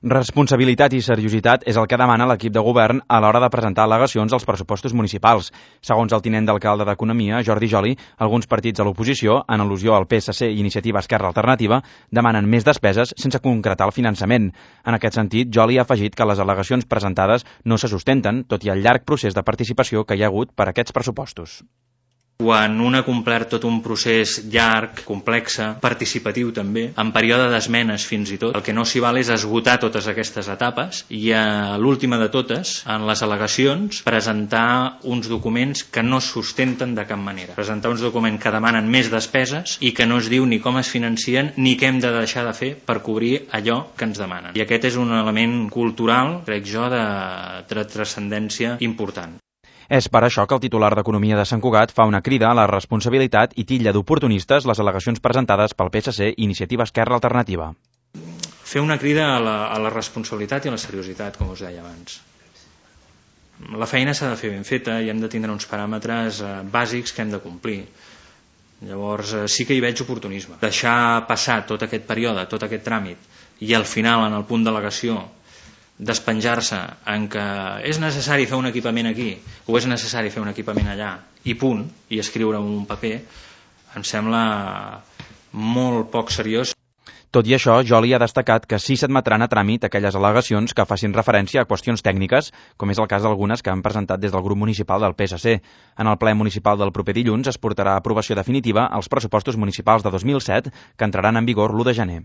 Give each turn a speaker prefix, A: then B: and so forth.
A: Responsabilitat i seriositat és el que demana l'equip de govern a l'hora de presentar al·legacions als pressupostos municipals. Segons el tinent d'alcalde d'Economia, Jordi Joli, alguns partits de l'oposició, en al·lusió al PSC i Iniciativa Esquerra Alternativa, demanen més despeses sense concretar el finançament. En aquest sentit, Joli ha afegit que les al·legacions presentades no se sustenten, tot i el llarg procés de participació que hi ha hagut per aquests pressupostos.
B: Quan un ha complert tot un procés llarg, complex, participatiu també, en període d'esmenes fins i tot, el que no s'hi val és esgotar totes aquestes etapes i a l'última de totes, en les al·legacions, presentar uns documents que no sustenten de cap manera. Presentar uns documents que demanen més despeses i que no es diu ni com es financien ni què hem de deixar de fer per cobrir allò que ens demanen. I aquest és un element cultural, crec jo, de transcendència important.
A: És per això que el titular d'Economia de Sant Cugat fa una crida a la responsabilitat i titlla d'oportunistes les al·legacions presentades pel PSC i Iniciativa Esquerra Alternativa.
B: Fer una crida a la responsabilitat i a la seriositat, com us deia abans. La feina s'ha de fer ben feta i hem de tindre uns paràmetres bàsics que hem de complir. Llavors sí que hi veig oportunisme. Deixar passar tot aquest període, tot aquest tràmit i al final, en el punt d'al·legació, despenjar-se en que és necessari fer un equipament aquí o és necessari fer un equipament allà i punt, i escriure un paper, em sembla molt poc seriós.
A: Tot i això, Joli ha destacat que sí s'admetran a tràmit aquelles al·legacions que facin referència a qüestions tècniques, com és el cas d'algunes que han presentat des del grup municipal del PSC. En el ple municipal del proper dilluns es portarà a aprovació definitiva els pressupostos municipals de 2007, que entraran en vigor l'1 de gener.